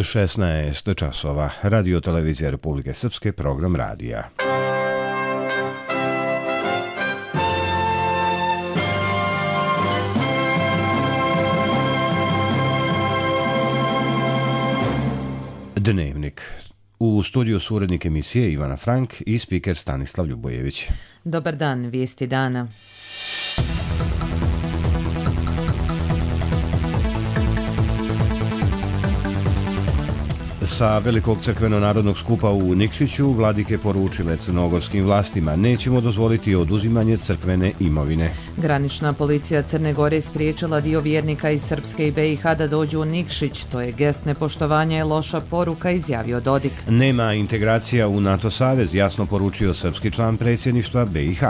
16 časova. Radio Televizija Republike Srpske, program radija. Dnevnik. U studiju su urednik emisije Ivana Frank i spiker Stanislav Ljubojević. Dobar dan, vijesti dana. Sa Velikog crkveno-narodnog skupa u Nikšiću vladike poručile crnogorskim vlastima: nećemo dozvoliti oduzimanje crkvene imovine. Granična policija Crne Gore spriječila dio vjernika iz Srpske i BiH da dođu u Nikšić. To je gest nepoštovanja i loša poruka, izjavio Dodik. Nema integracija u NATO savez, jasno poručio srpski član predsjedništva BiH.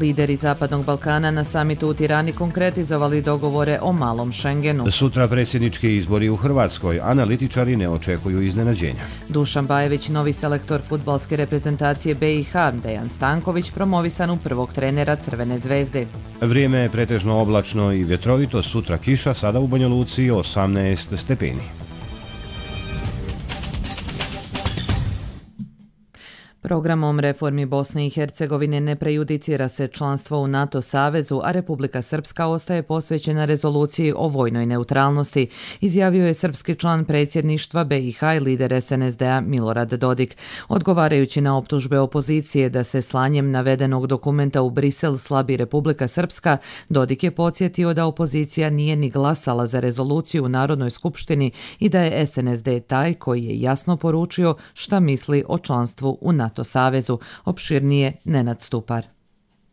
Lideri Zapadnog Balkana na samitu u Tirani konkretizovali dogovore o malom Schengenu. Sutra predsjednički izbori u Hrvatskoj. Analitičari ne očekuju iznenađenja. Dušan Bajević, novi selektor fudbalske reprezentacije BiH, Dejan Stanković promovisan u prvog trenera Crvene zvezde. Vrijeme je pretežno oblačno i vjetrovito, sutra kiša, sada u Banja Luci 18 stepeni. Programom reformi Bosne i Hercegovine ne prejudicira se članstvo u NATO savezu, a Republika Srpska ostaje posvećena rezoluciji o vojnoj neutralnosti, izjavio je srpski član predsjedništva BiH i lider SNSD-a Milorad Dodik. Odgovarajući na optužbe opozicije da se slanjem navedenog dokumenta u Brisel slabi Republika Srpska, Dodik je podsjetio da opozicija nije ni glasala za rezoluciju u Narodnoj skupštini i da je SNSD taj koji je jasno poručio šta misli o članstvu u NATO savezu. Opširnije Nenad Stupar.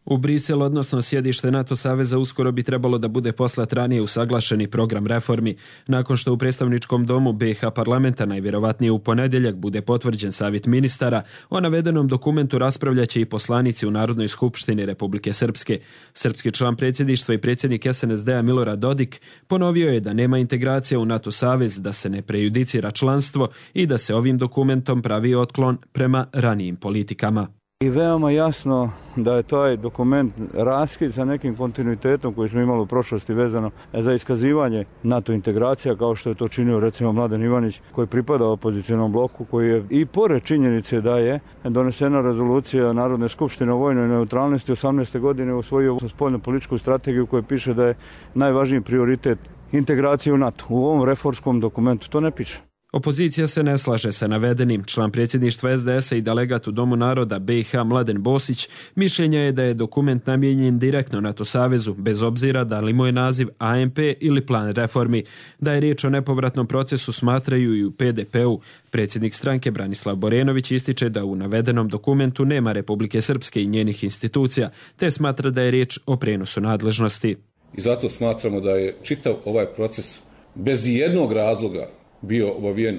U Brisel, odnosno sjedište NATO saveza, uskoro bi trebalo da bude poslat ranije usaglašeni program reformi. Nakon što u predstavničkom domu BiH parlamenta najvjerovatnije u ponedjeljak bude potvrđen savjet ministara, o navedenom dokumentu raspravljaće i poslanici u Narodnoj skupštini Republike Srpske. Srpski član predsjedništva i predsjednik SNSD-a Milorad Dodik ponovio je da nema integracija u NATO savez, da se ne prejudicira članstvo i da se ovim dokumentom pravi otklon prema ranijim politikama. I veoma jasno da je taj dokument raskid sa nekim kontinuitetom koji smo imali u prošlosti vezano za iskazivanje NATO integracija, kao što je to činio recimo Mladen Ivanić, koji pripada opozicionom bloku, koji je i pored činjenice da je donesena rezolucija Narodne skupštine o vojnoj neutralnosti 18. godine usvojio spoljnu političku strategiju koja piše da je najvažniji prioritet integracije u NATO. U ovom reformskom dokumentu to ne piše. Opozicija se ne slaže sa navedenim. Član predsjedništva SDS-a i delegat u Domu naroda BiH Mladen Bosić mišljenja je da je dokument namijenjen direktno NATO savezu, bez obzira da li mu je naziv AMP ili plan reformi. Da je riječ o nepovratnom procesu smatraju i u PDP-u. Predsjednik stranke Branislav Borenović ističe da u navedenom dokumentu nema Republike Srpske i njenih institucija, te smatra da je riječ o prijenosu nadležnosti. I zato smatramo da je čitav ovaj proces bez jednog razloga bio obavijen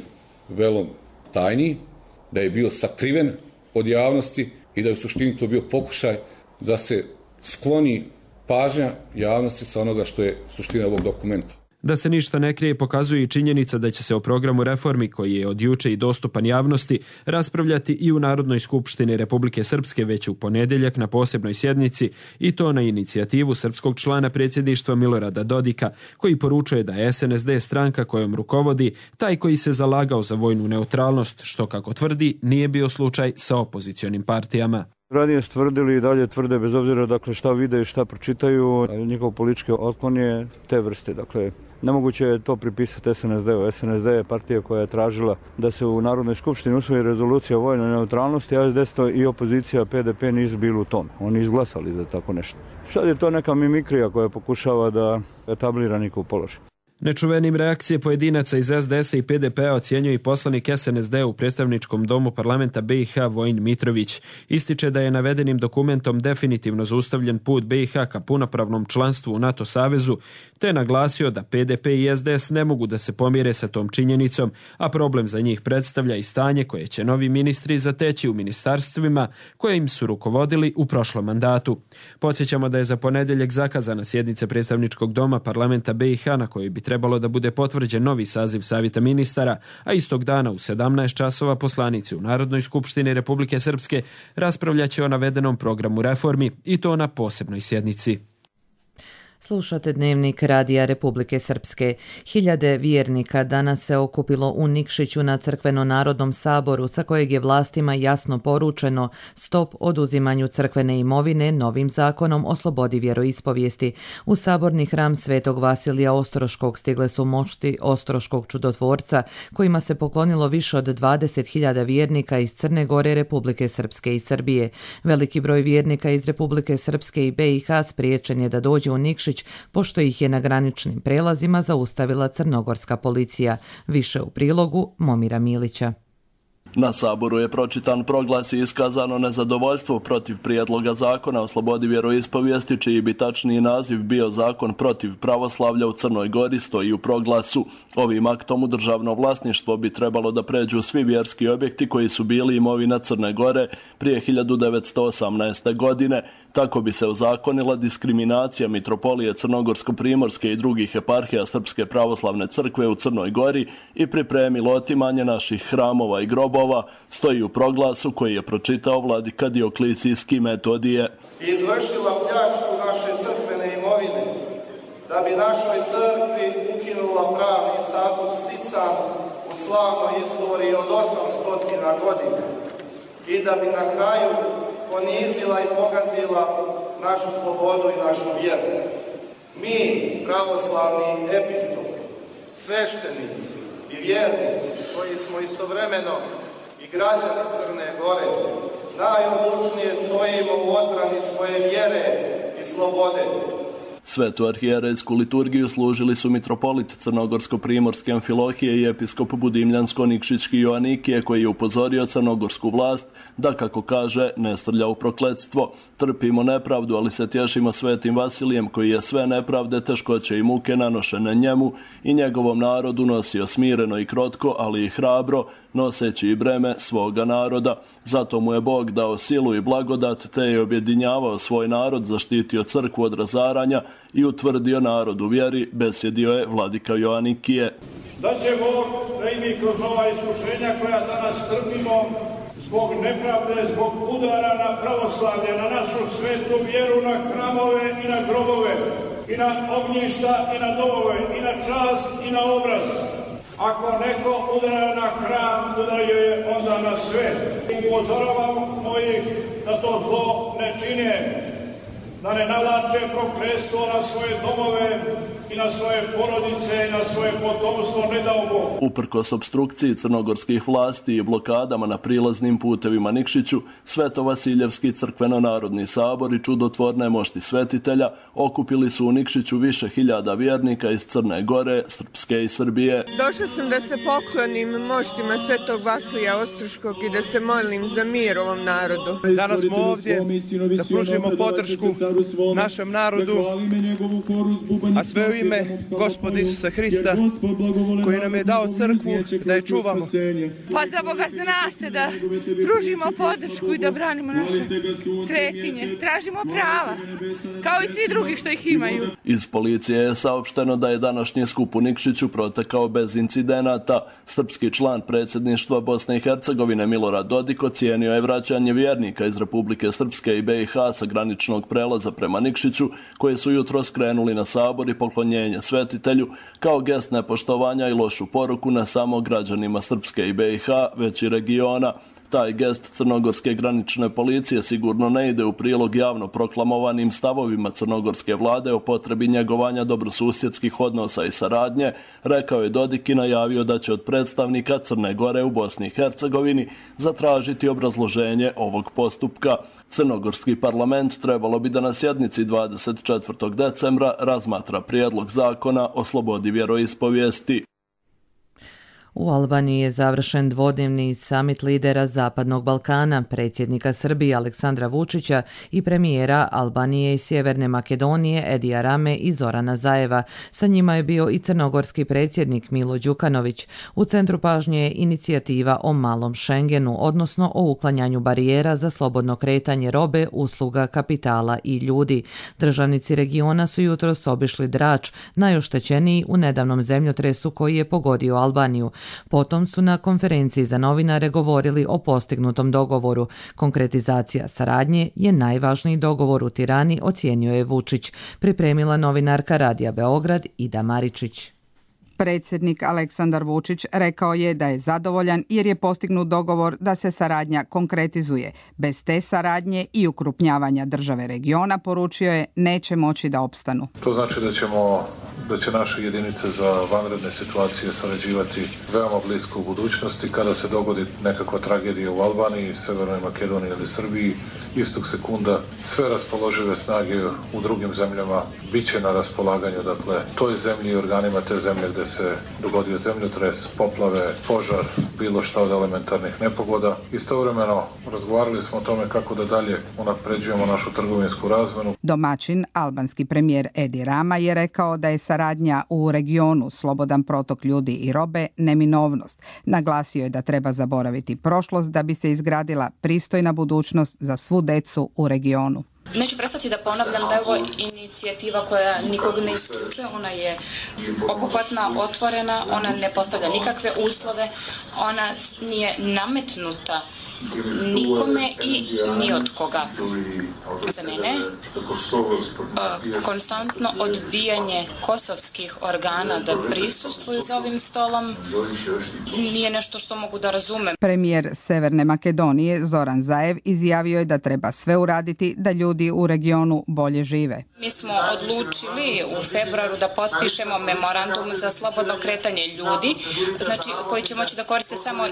velom tajni, da je bio sakriven od javnosti i da je u suštini to bio pokušaj da se skloni pažnja javnosti sa onoga što je suština ovog dokumenta. Da se ništa ne krije pokazuje i činjenica da će se o programu reformi, koji je od juče i dostupan javnosti, raspravljati i u Narodnoj skupštini Republike Srpske već u ponedjeljak na posebnoj sjednici, i to na inicijativu srpskog člana predsjedništva Milorada Dodika, koji poručuje da je SNSD stranka kojom rukovodi taj koji se zalagao za vojnu neutralnost, što, kako tvrdi, nije bio slučaj sa opozicionim partijama. Ranije stvrdili i dalje tvrde, bez obzira dakle šta vide i šta pročitaju, njihov politički otklon je te vrste. Dakle, nemoguće je to pripisati SNSD-u. SNSD je partija koja je tražila da se u Narodnoj skupštini usvoji rezolucija o vojnoj neutralnosti, a SDS i opozicija PDP nisu bili u tome. Oni izglasali za tako nešto. Sad je to neka mimikrija koja pokušava da etablira njihov položaj. Nečuvenim reakcije pojedinaca iz SDS-a i PDP-a ocjenjuje i poslanik SNSD u predstavničkom domu parlamenta BiH Vojin Mitrović. Ističe da je navedenim dokumentom definitivno zaustavljen put BiH ka punopravnom članstvu u NATO savezu, te naglasio da PDP i SDS ne mogu da se pomire sa tom činjenicom, a problem za njih predstavlja i stanje koje će novi ministri zateći u ministarstvima koje im su rukovodili u prošlom mandatu. Podsjećamo da je za ponedjeljak zakazana sjednica predstavničkog doma parlamenta BiH na kojoj bi trebalo da bude potvrđen novi saziv Savjeta ministara, a istog dana u 17 časova poslanici u Narodnoj skupštini Republike Srpske raspravljaće o navedenom programu reformi, i to na posebnoj sjednici. Slušate Dnevnik Radija Republike Srpske. Hiljade vjernika danas se okupilo u Nikšiću na Crkveno-narodnom saboru sa kojeg je vlastima jasno poručeno stop oduzimanju crkvene imovine novim zakonom o slobodi vjeroispovijesti. U saborni hram Svetog Vasilija Ostroškog stigle su mošti Ostroškog čudotvorca kojima se poklonilo više od 20.000 vjernika iz Crne Gore, Republike Srpske i Srbije. Veliki broj vjernika iz Republike Srpske i BiH spriječen je da dođe u Nikšić pošto ih je na graničnim prelazima zaustavila crnogorska policija. Više u prilogu Momira Milića. Na saboru je pročitan proglas i iskazano nezadovoljstvo protiv prijedloga zakona o slobodi vjeroispovijesti, čiji bi tačniji naziv bio zakon protiv pravoslavlja u Crnoj Gori, stoji u proglasu. Ovim aktom u državno vlasništvo bi trebalo da pređu svi vjerski objekti koji su bili imovina Crne Gore prije 1918. godine. Tako bi se ozakonila diskriminacija mitropolije Crnogorsko-primorske i drugih eparhija Srpske pravoslavne crkve u Crnoj Gori i pripremilo otimanje naših hramova i grobova, stoji u proglasu koji je pročitao vladika Dioklisijski Metodije. Izvršila pljačku naše crkvene imovine, da bi našoj crkvi ukinula pravni status stican u slavnoj istoriji od 800 godina i da bi na kraju ponizila i pogazila našu slobodu i našu vjeru. Mi, pravoslavni episkopi, sveštenici i vjernici, koji smo istovremeno i građani Crne Gore, najodlučnije stojimo u odbrani svoje vjere i slobode. Svetu arhijerejsku liturgiju služili su mitropolit Crnogorsko-primorske Amfilohije i episkop Budimljansko-Nikšićki Joanikije, koji je upozorio crnogorsku vlast da, kako kaže, ne strlja u prokletstvo. Trpimo nepravdu, ali se tješimo Svetim Vasilijem, koji je sve nepravde, teškoće i muke nanošene njemu i njegovom narodu nosio smireno i krotko, ali i hrabro, noseći i breme svoga naroda. Zato mu je Bog dao silu i blagodat, te je objedinjavao svoj narod, zaštitio crkvu od razaranja i utvrdio narod u vjeri, besjedio je vladika Joanikije. Da će Bog da i mi kroz ova iskušenja koja danas trpimo, zbog nepravde, zbog udara na pravoslavlje, na našu svetu vjeru, na hramove i na grobove, i na ognjišta i na domove, i na čast i na obraz. Ako neko udara na hram, udario je onda na sve. Upozoravam mojih da to zlo ne čine, da ne navlače prokletstvo na svoje domove i na svoje porodice i na svoje potomstvo, ne dao Bog. Uprkos opstrukciji crnogorskih vlasti i blokadama na prilaznim putevima Nikšiću, Sveto-Vasiljevski crkveno-narodni sabor i čudotvorne mošti svetitelja okupili su u Nikšiću više hiljada vjernika iz Crne Gore, Srpske i Srbije. Došla sam da se poklonim moštima Svetog Vasilija Ostroškog i da se molim za mir ovom narodu. Danas smo ovdje da pružimo podršku našem narodu, a sve u ime Gospoda Isusa Hrista, koji nam je dao crkvu da je čuvamo. Pa za Boga zna se da pružimo podršku i da branimo naše svetinje. Tražimo prava, kao i svi drugi što ih imaju. Iz policije je saopšteno da je današnji skup u Nikšiću protekao bez incidenata. Srpski član predsjedništva Bosne i Hercegovine Milorad Dodik ocijenio je vraćanje vjernika iz Republike Srpske i BiH sa graničnog prelaza prema Nikšiću, koji su jutro skrenuli na sabor i poklonjenje svetitelju, kao gest nepoštovanja i lošu poruku ne samo građanima Srpske i BiH, već i regiona. Taj gest crnogorske granične policije sigurno ne ide u prilog javno proklamovanim stavovima crnogorske vlade o potrebi njegovanja dobrosusjedskih odnosa i saradnje, rekao je Dodik i najavio da će od predstavnika Crne Gore u Bosni i Hercegovini zatražiti obrazloženje ovog postupka. Crnogorski parlament trebalo bi da na sjednici 24. decembra razmatra prijedlog zakona o slobodi vjeroispovijesti. U Albaniji je završen dvodnevni samit lidera Zapadnog Balkana, predsjednika Srbije Aleksandra Vučića i premijera Albanije i Sjeverne Makedonije Edija Rame i Zorana Zajeva. Sa njima je bio i crnogorski predsjednik Milo Đukanović. U centru pažnje je inicijativa o malom Schengenu, odnosno o uklanjanju barijera za slobodno kretanje robe, usluga, kapitala i ljudi. Državnici regiona su jutros obišli Drač, najoštećeniji u nedavnom zemljotresu koji je pogodio Albaniju. Potom su na konferenciji za novinare govorili o postignutom dogovoru. Konkretizacija saradnje je najvažniji dogovor u Tirani, ocijenio je Vučić, pripremila novinarka Radija Beograd Ida Maričić. Predsjednik Aleksandar Vučić rekao je da je zadovoljan jer je postignut dogovor da se saradnja konkretizuje. Bez te saradnje i ukrupnjavanja države regiona, poručio je, neće moći da opstanu. To znači da će naše jedinice za vanredne situacije sarađivati veoma blisko u budućnosti. Kada se dogodi nekakva tragedija u Albaniji, Severnoj Makedoniji ili Srbiji, istog sekunda sve raspoložive snage u drugim zemljama bit će na raspolaganju, dakle, toj zemlji i organima te zemlje gde se dogodio zemljotres, poplave, požar, bilo šta od elementarnih nepogoda. Istovremeno razgovarali smo o tome kako da dalje unapređujemo našu trgovinsku razmenu. Domaćin, albanski premijer Edi Rama, je rekao da je saradnja u regionu, slobodan protok ljudi i robe, neminovnost. Naglasio je da treba zaboraviti prošlost da bi se izgradila pristojna budućnost za svu decu u regionu. Neću prestati da ponavljam da je ovo inicijativa koja nikog ne isključuje, ona je obuhvatna, otvorena, ona ne postavlja nikakve uslove, ona nije nametnuta nikome i ni od koga. Za mene konstantno odbijanje kosovskih organa da prisustvuju za ovim stolom nije nešto što mogu da razumem. Premijer Severne Makedonije Zoran Zaev izjavio je da treba sve uraditi da ljudi u regionu bolje žive. Mi smo odlučili u februaru da potpišemo memorandum za slobodno kretanje ljudi, znači koji će moći da koriste samo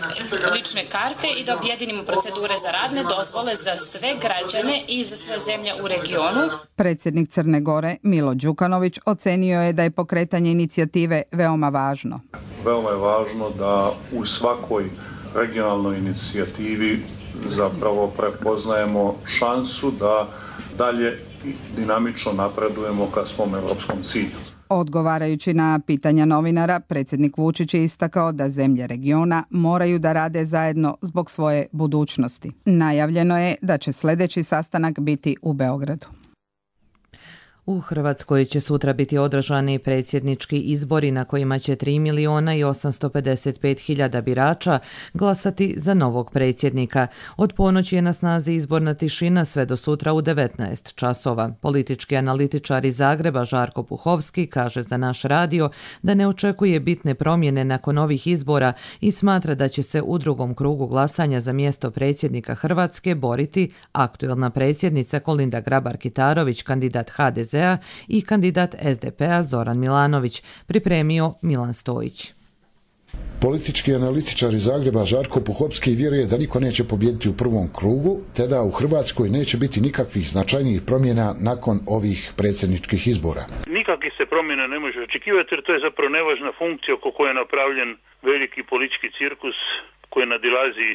lične karte i da objedinimo procedure za radne dozvole za sve građane i za sve zemlje u regionu. Predsjednik Crne Gore Milo Đukanović ocenio je da je pokretanje inicijative veoma važno. Veoma je važno da u svakoj regionalnoj inicijativi zapravo prepoznajemo šansu da dalje dinamično napredujemo ka svom evropskom cilju. Odgovarajući na pitanja novinara, predsjednik Vučić je istakao da zemlje regiona moraju da rade zajedno zbog svoje budućnosti. Najavljeno je da će sljedeći sastanak biti u Beogradu. U Hrvatskoj će sutra biti održani predsjednički izbori na kojima će 3.855.000 birača glasati za novog predsjednika. Od ponoći je na snazi izborna tišina sve do sutra u 19 časova. Politički analitičar iz Zagreba Žarko Puhovski kaže za naš radio da ne očekuje bitne promjene nakon ovih izbora i smatra da će se u drugom krugu glasanja za mjesto predsjednika Hrvatske boriti aktuelna predsjednica Kolinda Grabar-Kitarović, kandidat HDZ-a i kandidat SDP-a Zoran Milanović, pripremio Milan Stojić. Politički analitičar iz Zagreba Žarko Puhovski vjeruje da niko neće pobijediti u prvom krugu, te da u Hrvatskoj neće biti nikakvih značajnijih promjena nakon ovih predsjedničkih izbora. Nikakvih se promjena ne može očekivati jer to je zapravo nevažna funkcija oko koje je napravljen veliki politički cirkus koji nadilazi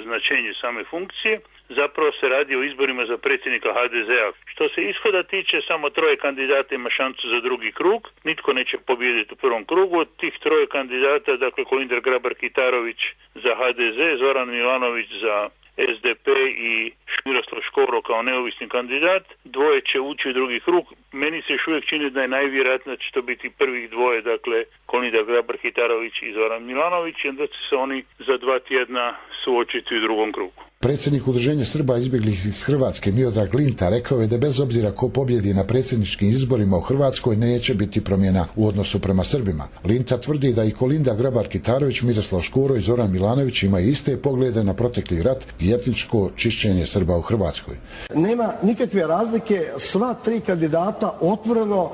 značenje same funkcije. Zapravo se radi o izborima za predsjednika HDZ-a. Što se ishoda tiče, samo 3 kandidata ima šansu za drugi krug. Nitko neće pobijediti u prvom krugu. Od tih 3 kandidata, dakle Kolinda Grabar-Kitarović za HDZ, Zoran Milanović za SDP i Miroslav Škoro kao neovisni kandidat, 2 će ući u drugi krug. Meni se još uvijek čini da je najvjerojatnije da će to biti prvih 2, dakle Kolinda Grabar-Kitarović i Zoran Milanović, i onda će se oni za 2 tjedna suočiti u drugom krugu. Predsjednik Udruženja Srba izbjeglih iz Hrvatske Miodrag Linta rekao je da bez obzira ko pobjedi na predsjedničkim izborima u Hrvatskoj neće biti promjena u odnosu prema Srbima. Linta tvrdi da i Kolinda Grabar-Kitarović, Miroslav Škoro i Zoran Milanović imaju iste poglede na protekli rat i etničko čišćenje Srba u Hrvatskoj. Nema nikakve razlike, sva 3 kandidata otvoreno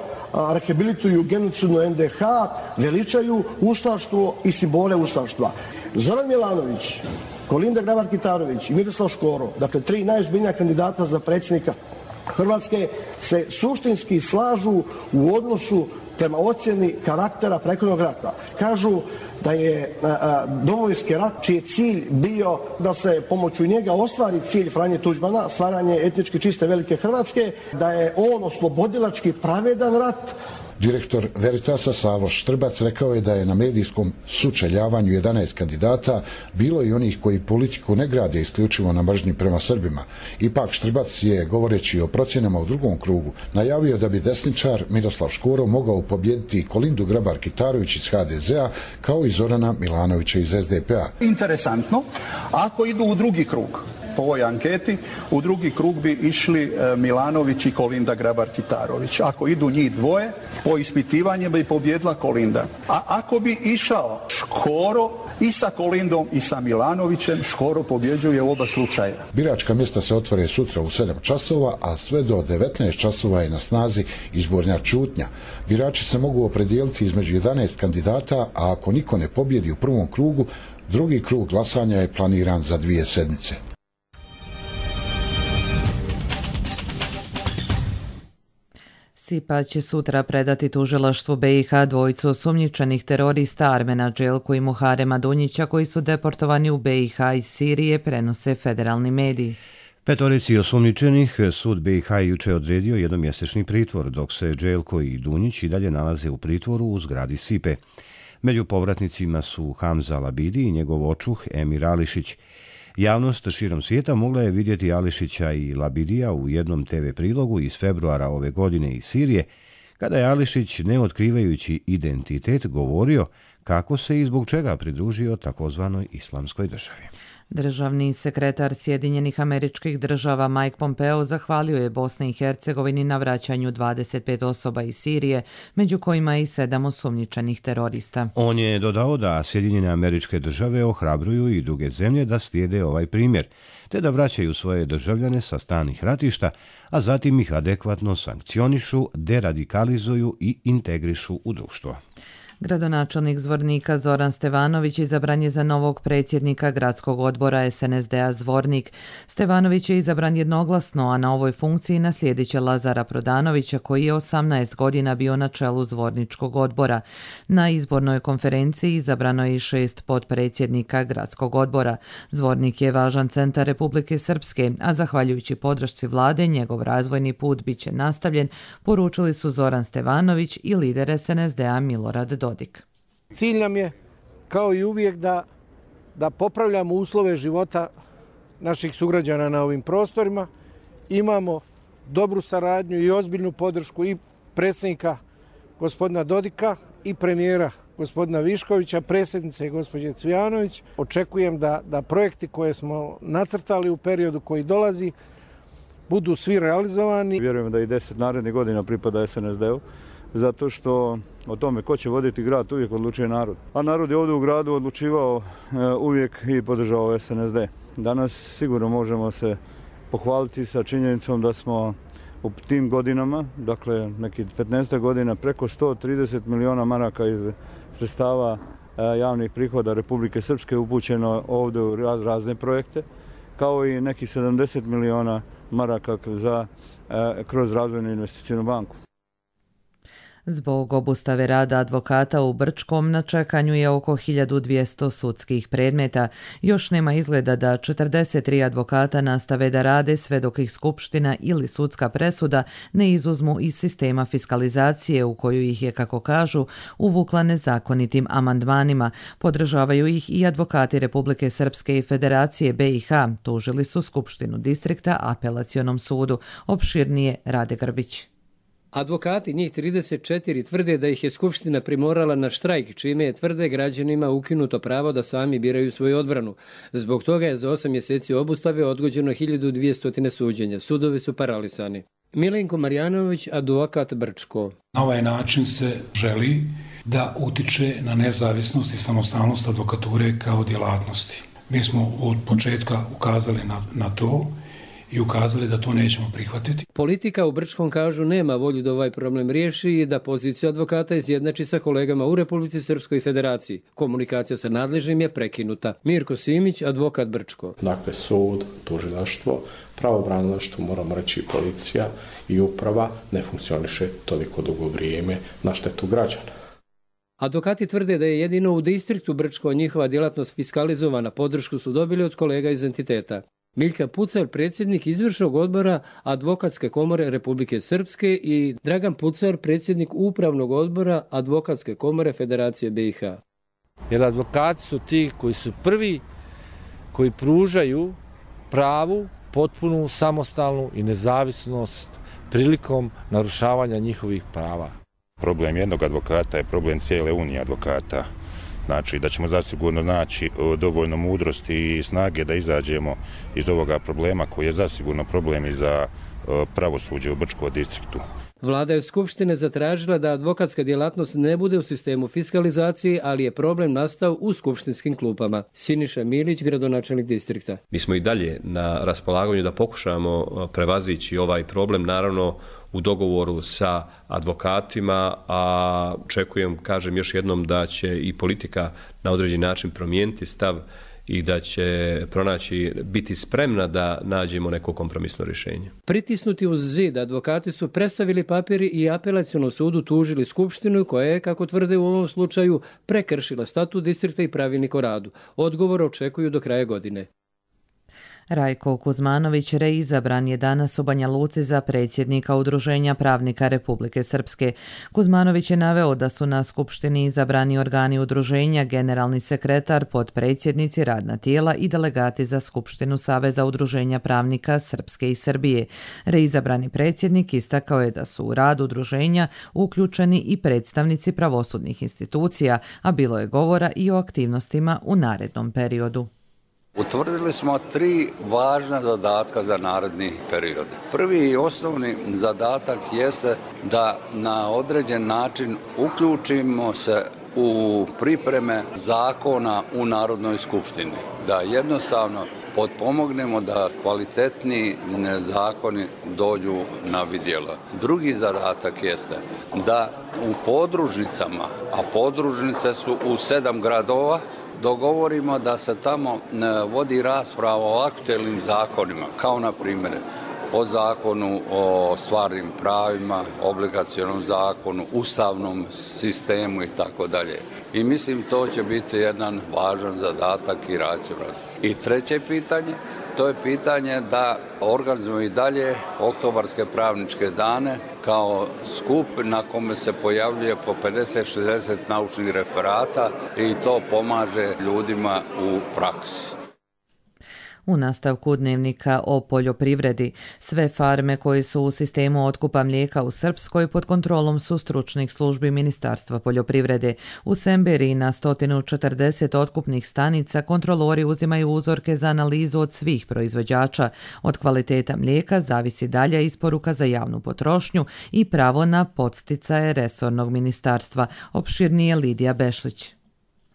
rehabilituju genocidnu NDH, veličaju ustaštvo i simbole ustaštva. Zoran Milanović, Kolinda Grabar-Kitarović i Miroslav Škoro, dakle 3 najozbiljnija kandidata za predsjednika Hrvatske, se suštinski slažu u odnosu prema ocjeni karaktera prethodnog rata. Kažu da je Domovinski rat, čiji je cilj bio da se pomoću njega ostvari cilj Franje Tuđmana, stvaranje etnički čiste velike Hrvatske, da je on oslobodilački pravedan rat, Direktor Veritasa Savo Štrbac rekao je da je na medijskom sučeljavanju 11 kandidata bilo i onih koji politiku ne grade isključivo na mržnji prema Srbima. Ipak Štrbac je, govoreći o procjenama u drugom krugu, najavio da bi desničar Miroslav Škoro mogao pobijediti Kolindu Grabar-Kitarović iz HDZ-a kao i Zorana Milanovića iz SDP-a. Interesantno, ako idu u drugi krug, po ovoj anketi, u drugi krug bi išli Milanović i Kolinda Grabar-Kitarović. Ako idu njih dvoje, po ispitivanju bi pobjedila Kolinda. A ako bi išao Škoro i sa Kolindom i sa Milanovićem, Škoro pobjeđuje u oba slučaja. Biračka mjesta se otvore sutra u 7 časova, a sve do 19 časova je na snazi izborna ćutnja. Birači se mogu opredijeliti između 11 kandidata, a ako niko ne pobjedi u prvom krugu, drugi krug glasanja je planiran za 2 sedmice. SIPA će sutra predati tužilaštvu BiH dvojicu osumnjičenih terorista Armena Đelku i Muharema Dunjića koji su deportovani u BiH iz Sirije, prenose federalni mediji. Petorici osumnjičenih sud BiH juče odredio jednomjesečni pritvor, dok se Đelko i Dunjić i dalje nalaze u pritvoru u zgradi SIPE. Među povratnicima su Hamza Labidi i njegov očuh Emir Ališić. Javnost širom svijeta mogla je vidjeti Ališića i Labidija u jednom TV prilogu iz februara ove godine iz Sirije, kada je Ališić, ne otkrivajući identitet, govorio kako se i zbog čega pridružio takozvanoj islamskoj državi. Državni sekretar Sjedinjenih Američkih Država Mike Pompeo zahvalio je Bosni i Hercegovini na vraćanju 25 osoba iz Sirije, među kojima i 7 osumnjičenih terorista. On je dodao da Sjedinjene Američke Države ohrabruju i druge zemlje da slijede ovaj primjer, te da vraćaju svoje državljane sa stalnih ratišta, a zatim ih adekvatno sankcionišu, deradikalizuju i integrišu u društvo. Gradonačelnik Zvornika Zoran Stevanović izabran je za novog predsjednika gradskog odbora SNSD-a Zvornik. Stevanović je izabran jednoglasno, a na ovoj funkciji naslijedit će Lazara Prodanovića, koji je 18 godina bio na čelu Zvorničkog odbora. Na izbornoj konferenciji izabrano je i 6 potpredsjednika gradskog odbora. Zvornik je važan centar Republike Srpske, a zahvaljujući podršci vlade njegov razvojni put bit će nastavljen, poručili su Zoran Stevanović i lider SNSD-a Milorad Dodik. Cilj nam je, kao i uvijek, da popravljamo uslove života naših sugrađana na ovim prostorima. Imamo dobru saradnju i ozbiljnu podršku i predsjednika gospodina Dodika i premijera gospodina Viškovića, predsjednice gospođe Cvijanović. Očekujem da projekti koje smo nacrtali u periodu koji dolazi budu svi realizovani. Vjerujem da i 10 narednih godina pripada SNSD-u, zato što o tome ko će voditi grad uvijek odlučuje narod. A narod je ovdje u gradu odlučivao uvijek i podržavao SNSD. Danas sigurno možemo se pohvaliti sa činjenicom da smo u tim godinama, dakle nekih 15 godina, preko 130 miliona maraka iz sredstava javnih prihoda Republike Srpske upućeno ovdje u razne projekte, kao i nekih 70 miliona maraka kroz razvojnu investicijnu banku. Zbog obustave rada advokata u Brčkom na čekanju je oko 1200 sudskih predmeta. Još nema izgleda da 43 advokata nastave da rade sve dok ih skupština ili sudska presuda ne izuzmu iz sistema fiskalizacije u koju ih je, kako kažu, uvukla nezakonitim amandmanima. Podržavaju ih i advokati Republike Srpske i Federacije BiH. Tužili su Skupštinu distrikta Apelacionom sudu. Opširnije Rade Grbić. Advokati, njih 34, tvrde da ih je Skupština primorala na štrajk, čime je, tvrde, građanima ukinuto pravo da sami biraju svoju odbranu. Zbog toga je za 8 mjeseci obustave odgođeno 1200 suđenja. Sudovi su paralisani. Milenko Marjanović, advokat Brčko. Na ovaj način se želi da utiče na nezavisnost i samostalnost advokature kao djelatnosti. Mi smo od početka ukazali na to i ukazali da to nećemo prihvatiti. Politika u Brčkom, kažu, nema volju da ovaj problem riješi i da poziciju advokata izjednači sa kolegama u Republici Srpskoj Federaciji. Komunikacija sa nadležnim je prekinuta. Mirko Simić, advokat Brčko. Dakle, sud, tužilaštvo, pravobranilaštvo, moramo reći policija i uprava ne funkcioniše toliko dugo vrijeme na štetu građana. Advokati tvrde da je jedino u distriktu Brčko njihova djelatnost fiskalizovana. Podršku su dobili od kolega iz entiteta. Miljka Pucar, predsjednik izvršnog odbora Advokatske komore Republike Srpske i Dragan Pucar, predsjednik upravnog odbora Advokatske komore Federacije BiH. Jer advokati su ti koji su prvi koji pružaju pravu, potpunu, samostalnu i nezavisnost prilikom narušavanja njihovih prava. Problem jednog advokata je problem cijele unije advokata. Znači da ćemo zasigurno naći dovoljno mudrosti i snage da izađemo iz ovoga problema koji je zasigurno problem i za pravosuđe u Brčkom distriktu. Vlada je od Skupštine zatražila da advokatska djelatnost ne bude u sistemu fiskalizacije, ali je problem nastao u skupštinskim klupama. Siniša Milić, gradonačelnik distrikta. Mi smo i dalje na raspolaganju da pokušamo prevazići ovaj problem, naravno u dogovoru sa advokatima, a očekujem, kažem još jednom, da će i politika na određeni način promijeniti stav i da će biti spremna da nađemo neko kompromisno rješenje. Pritisnuti uz zid, advokati su prestavili papiri i apelacionom sudu tužili Skupštinu koja je, kako tvrde u ovom slučaju, prekršila statut distrikta i pravilnik o radu. Odgovor očekuju do kraja godine. Rajko Kuzmanović reizabran je danas u Banja Luci za predsjednika Udruženja pravnika Republike Srpske. Kuzmanović je naveo da su na Skupštini izabrani organi udruženja, generalni sekretar, potpredsjednici, radna tijela i delegati za Skupštinu Saveza udruženja pravnika Srpske i Srbije. Reizabrani predsjednik istakao je da su u rad udruženja uključeni i predstavnici pravosudnih institucija, a bilo je govora i o aktivnostima u narednom periodu. Utvrdili smo 3 važna zadatka za naredni period. Prvi i osnovni zadatak jeste da na određen način uključimo se u pripreme zakona u Narodnoj skupštini. Da jednostavno potpomognemo da kvalitetni zakoni dođu na vidjelo. Drugi zadatak jeste da u podružnicama, a podružnice su u 7 gradova, dogovorimo da se tamo vodi rasprava o aktuelnim zakonima, kao na primjer o zakonu o stvarnim pravima, obligacionom zakonu, ustavnom sistemu i tako dalje. I mislim to će biti jedan važan zadatak i racionalan. I treće pitanje, to je pitanje da organizujemo i dalje oktobarske pravničke dane kao skup na kome se pojavljuje po 50-60 naučnih referata i to pomaže ljudima u praksi. U nastavku dnevnika o poljoprivredi, sve farme koje su u sistemu otkupa mlijeka u Srpskoj pod kontrolom su stručnih službi Ministarstva poljoprivrede. U Semberi na 140 otkupnih stanica kontrolori uzimaju uzorke za analizu od svih proizvođača. Od kvaliteta mlijeka zavisi dalja isporuka za javnu potrošnju i pravo na podsticaje resornog ministarstva. Opširnije Lidija Bešlić.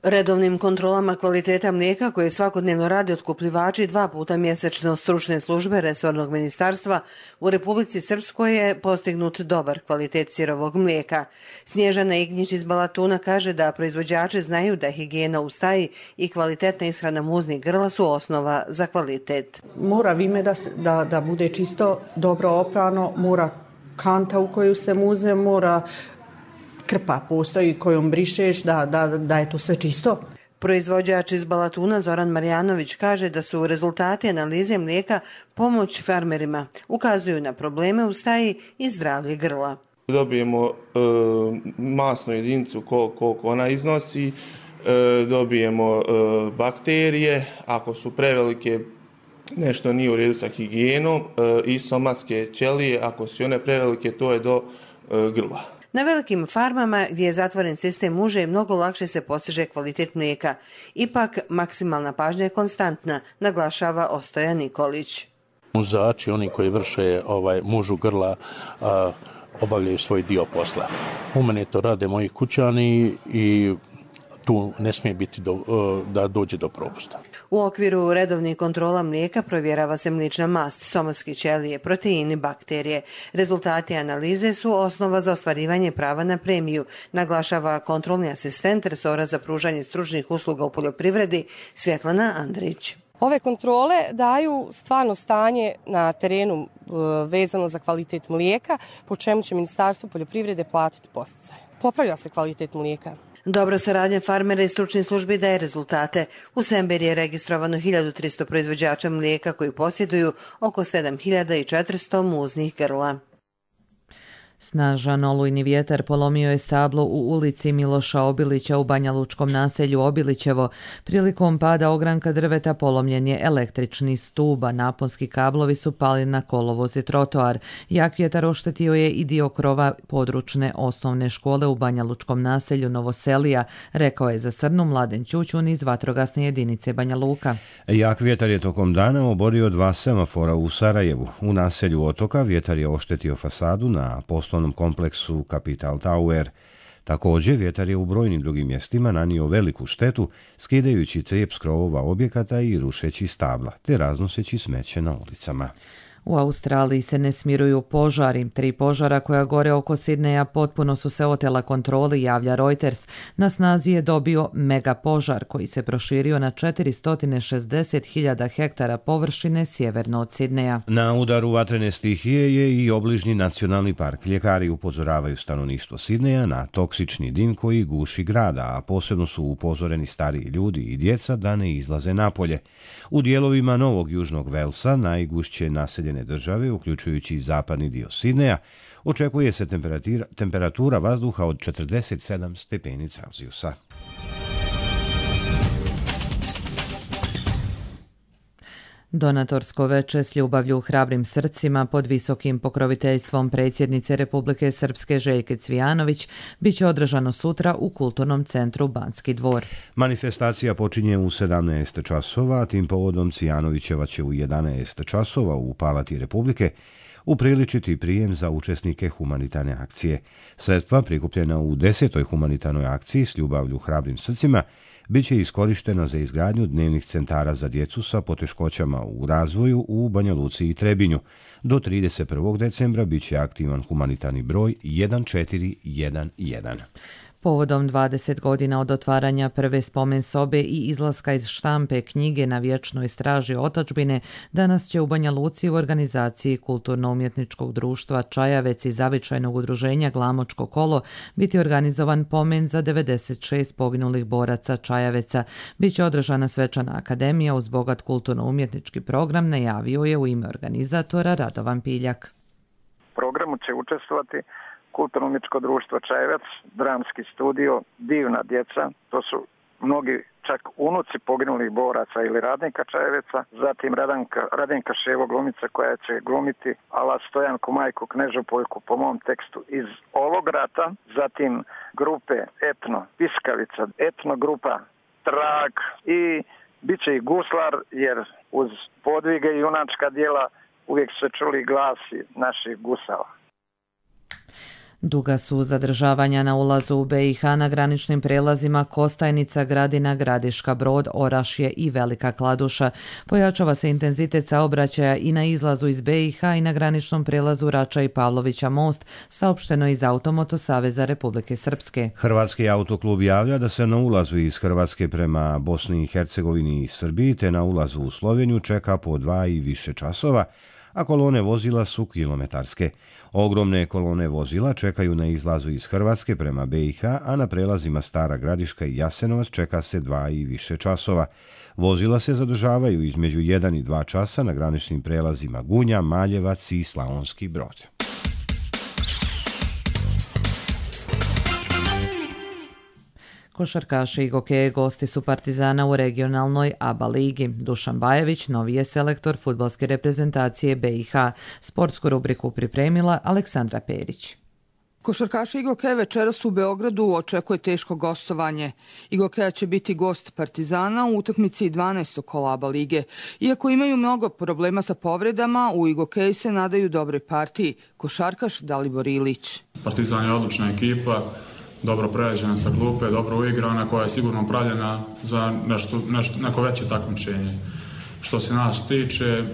Redovnim kontrolama kvaliteta mlijeka koje svakodnevno rade otkupljivači 2 puta mjesečno stručne službe resornog ministarstva u Republici Srpskoj je postignut dobar kvalitet sirovog mlijeka. Snježana Ignjić iz Balatuna kaže da proizvođači znaju da higijena u staji i kvalitetna ishrana muznih grla su osnova za kvalitet. Mora vime da bude čisto, dobro oprano, mora kanta u koju se muze, mora krpa postoji kojom brišeš da je to sve čisto. Proizvođač iz Balatuna Zoran Marjanović kaže da su rezultati analize mlijeka pomoć farmerima. Ukazuju na probleme u staji i zdravlje grla. Dobijemo masnu jedinicu koliko ona iznosi, dobijemo bakterije, ako su prevelike nešto nije u redu sa higijenom i somatske ćelije, ako su one prevelike to je do grla. Na velikim farmama gdje je zatvoren sistem uže mnogo lakše se postiže kvalitet mlijeka. Ipak maksimalna pažnja je konstantna, naglašava Ostoja Nikolić. Muzači, oni koji vrše mužu grla, obavljaju svoj dio posla. U mene to rade moji kućani i tu ne smije biti da dođe do propusta. U okviru redovnih kontrola mlijeka provjerava se mlična mast, somatske ćelije, proteini, bakterije. Rezultati analize su osnova za ostvarivanje prava na premiju, naglašava kontrolni asistent resora za pružanje stručnih usluga u poljoprivredi Svjetlana Andrić. Ove kontrole daju stvarno stanje na terenu vezano za kvalitet mlijeka, po čemu će Ministarstvo poljoprivrede platiti podsticaje. Popravlja se kvalitet mlijeka. Dobra saradnja farmera i stručnih službi daje rezultate. U Semberiji je registrovano 1300 proizvođača mlijeka koji posjeduju oko 7400 muznih grla. Snažan olujni vjetar polomio je stablo u ulici Miloša Obilića u banjalučkom naselju Obilićevo. Prilikom pada ogranka drveta polomljen je električni stup, a naponski kablovi su pali na kolovoz i trotoar. Jak vjetar oštetio je i dio krova područne osnovne škole u banjalučkom naselju Novoselija, rekao je za Srnu Mladen Ćućun iz vatrogasne jedinice Banja Luka. Jak vjetar je tokom dana oborio 2 semafora u Sarajevu. U naselju Otoka vjetar je oštetio fasadu na poslovnom kompleksu Capital Tower. Također, vjetar je u brojnim drugim mjestima nanio veliku štetu, skidajući crijep s krovova objekata i rušeći stabla, te raznoseći smeće na ulicama. U Australiji se ne smiruju požari. 3 požara koja gore oko Sidneja potpuno su se otela kontroli, javlja Reuters. Na snazi je dobio mega požar koji se proširio na 460.000 hektara površine sjeverno od Sidneja. Na udaru vatrene stihije je i obližnji nacionalni park. Ljekari upozoravaju stanovništvo Sidneja na toksični dim koji guši grada, a posebno su upozoreni stariji ljudi i djeca da ne izlaze napolje. U dijelovima Novog Južnog Velsa, najgušće naseljene države, uključujući i zapadni dio Sidneja, očekuje se temperatura vazduha od 47 stepeni Celzijusa. Donatorsko veče s ljubavlju hrabrim srcima pod visokim pokroviteljstvom predsjednice Republike Srpske Željke Cvijanović bit će održano sutra u Kulturnom centru Banski dvor. Manifestacija počinje u 17 časova, a tim povodom Cvijanovićeva će u 11 časova u Palati Republike upriličiti prijem za učesnike humanitarne akcije. Sredstva prikupljena u 10. humanitarnoj akciji s ljubavlju hrabrim srcima bit će iskorištena za izgradnju dnevnih centara za djecu sa poteškoćama u razvoju u Banja Luci i Trebinju. Do 31. decembra bit će aktivan humanitarni broj 1411. Povodom 20 godina od otvaranja prve spomen sobe i izlaska iz štampe knjige Na vječnoj straži otadžbine, danas će u Banja Luci u organizaciji Kulturno-umjetničkog društva Čajavec i zavičajnog udruženja Glamočko kolo biti organizovan pomen za 96 poginulih boraca Čajaveca. Biće održana svečana akademija uz bogat kulturno-umjetnički program, najavio je u ime organizatora Radovan Piljak. U programu će učestvovati Kulturno-umjetničko društvo Čajevac, dramski studio, divna djeca, to su mnogi čak unuci poginulih boraca ili radnika Čajeveca, zatim Radenka Ševo glumica koja će glumiti ala Stojanku majku Knežopoljku po mom tekstu iz ovog rata, zatim grupe Etno Piskavica, Etno grupa Trag i bit će i guslar jer uz podvige i junačka djela uvijek se čuli glasi naših gusala. Duga su zadržavanja na ulazu u BiH na graničnim prelazima Kostajnica, Gradina, Gradiška, Brod, Orašje i Velika Kladuša. Pojačava se intenzitet saobraćaja i na izlazu iz BiH i na graničnom prelazu Rača i Pavlovića most, saopšteno iz Automoto Saveza Republike Srpske. Hrvatski autoklub javlja da se na ulazu iz Hrvatske prema Bosni i Hercegovini i Srbiji te na ulazu u Sloveniju čeka po 2 i više časova, a kolone vozila su kilometarske. Ogromne kolone vozila čekaju na izlazu iz Hrvatske prema BiH, a na prelazima Stara Gradiška i Jasenovac čeka se 2 i više časova. Vozila se zadržavaju između 1 i 2 časa na graničnim prelazima Gunja, Maljevac i Slavonski Brod. Košarkaši i gokeje gosti su Partizana u regionalnoj ABA ligi. Dušan Bajević, novi je selektor fudbalske reprezentacije BiH. Sportsku rubriku pripremila Aleksandra Perić. Košarkaši Igokeja večeras u Beogradu očekuje teško gostovanje. Igokeja će biti gost Partizana u utakmici 12. kola ABA lige. Iako imaju mnogo problema sa povredama, u Igokeji se nadaju dobroj partiji. Košarkaš Dalibor Ilić. Partizan je odlična ekipa, dobro prerađena sa klupe, dobro uigrana, koja je sigurno pravljena za neko veće takmičenje. Što se nas tiče,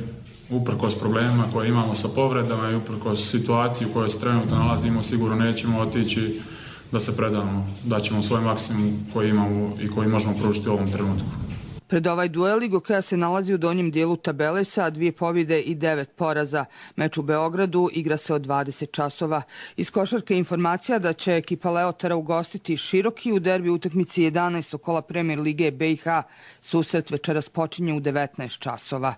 uprkos problemima koje imamo sa povredama i uprkos situaciji u kojoj se trenutno nalazimo, sigurno nećemo otići da se predamo. Daćemo svoj maksimum koji imamo i koji možemo pružiti u ovom trenutku. Pred ovaj duel Igokeja se nalazi u donjem dijelu tabele sa 2 pobjede i 9 poraza. Meč u Beogradu igra se od 20 časova. Iz košarke informacija da će ekipa Leotara ugostiti Široki u derbi utakmici 11. kola Premier lige BiH. Susret večeras počinje u 19 časova.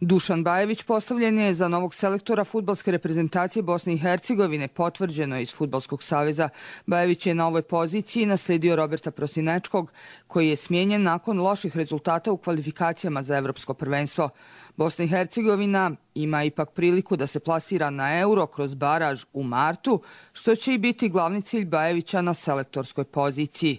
Dušan Bajević postavljen je za novog selektora fudbalske reprezentacije Bosne i Hercegovine, potvrđeno je iz Fudbalskog saveza. Bajević je na ovoj poziciji naslijedio Roberta Prosinečkog, koji je smijenjen nakon loših rezultata u kvalifikacijama za evropsko prvenstvo. Bosna i Hercegovina ima ipak priliku da se plasira na Euro kroz baraž u martu, što će i biti glavni cilj Bajevića na selektorskoj poziciji.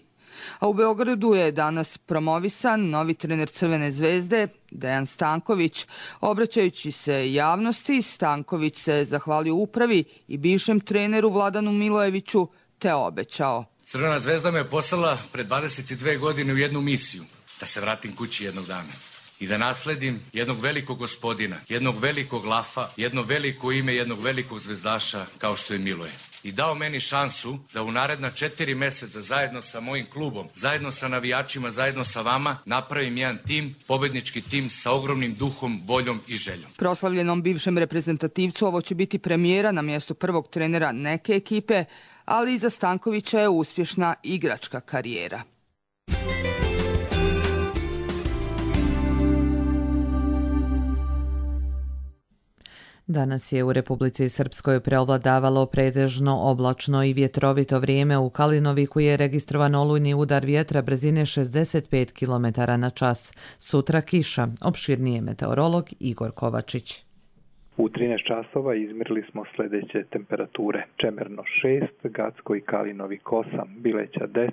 A u Beogradu je danas promovisan novi trener Crvene zvezde, Dejan Stanković. Obraćajući se javnosti, Stanković se zahvalio upravi i bivšem treneru Vladanu Milojeviću, te obećao: Crvena zvezda me poslala pred 22 godine u jednu misiju, da se vratim kući jednog dana i da nasledim jednog velikog gospodina, jednog velikog lafa, jedno veliko ime, jednog velikog zvezdaša kao što je Miloje. I dao meni šansu da u naredna 4 meseca zajedno sa mojim klubom, zajedno sa navijačima, zajedno sa vama napravim jedan tim, pobednički tim sa ogromnim duhom, voljom i željom. Proslavljenom bivšem reprezentativcu ovo će biti premijera na mjestu prvog trenera neke ekipe, ali iza Stankovića je uspješna igračka karijera. Danas je u Republici Srpskoj preovladavalo pretežno oblačno i vjetrovito vrijeme. U Kalinoviku je registrovan olujni udar vjetra brzine 65 km na čas. Sutra kiša, opširnije meteorolog Igor Kovačić. U 13 časova izmjerili smo sljedeće temperature. Čemerno 6, Gacko i Kalinovik 8, Bileća 10,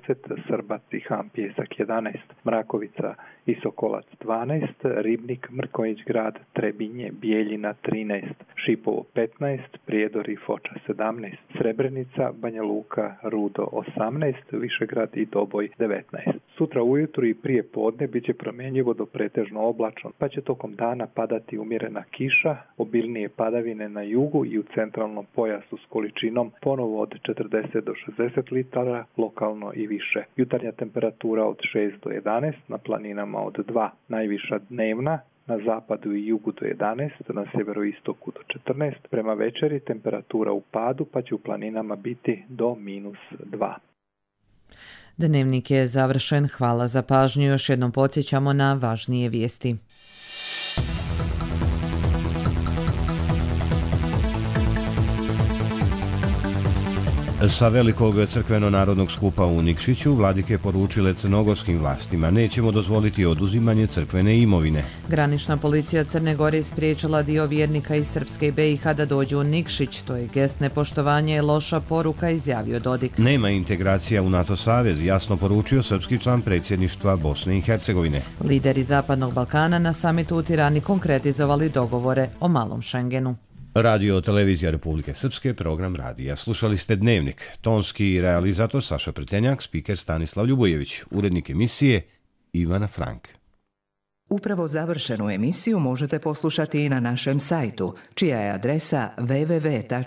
Srbac i Ham Pjesak 11, Mrakovica i Sokolac 12, Ribnik, Mrkonjić grad, Trebinje, Bijeljina 13, Šipovo 15, Prijedor i Foča 17, Srebrenica, Banja Luka, Rudo 18, Višegrad i Doboj 19. Sutra ujutru i prije podne bit će promjenjivo do pretežno oblačno, pa će tokom dana padati umjerena kiša, obilnije padavine na jugu i u centralnom pojasu s količinom ponovo od 40 do 60 litara, lokalno i više. Jutarnja temperatura od 6 do 11, na planinama od 2, najviša dnevna, na zapadu i jugu do 11, na sjeveroistoku do 14. Prema večeri temperatura u padu, pa će u planinama biti do -2. Dnevnik je završen. Hvala za pažnju. Još jednom podsjećamo na važnije vijesti. Sa velikog crkveno-narodnog skupa u Nikšiću vladike poručile crnogorskim vlastima: nećemo dozvoliti oduzimanje crkvene imovine. Granična policija Crne Gore spriječila dio vjernika iz Srpske i BiH da dođu u Nikšić. To je gest nepoštovanja i loša poruka, izjavio Dodik. Nema integracija u NATO savez, jasno poručio srpski član predsjedništva Bosne i Hercegovine. Lideri Zapadnog Balkana na samitu u Tirani konkretizovali dogovore o malom Šengenu. Radio Televizija Republike Srpske, program radija. Slušali ste Dnevnik. Tonski realizator Saša Pretenjak, spiker Stanislav Ljubojević, urednik emisije Ivana Frank. Upravo završenu emisiju možete poslušati i na našem sajtu, čija je adresa www.rtrs.tv.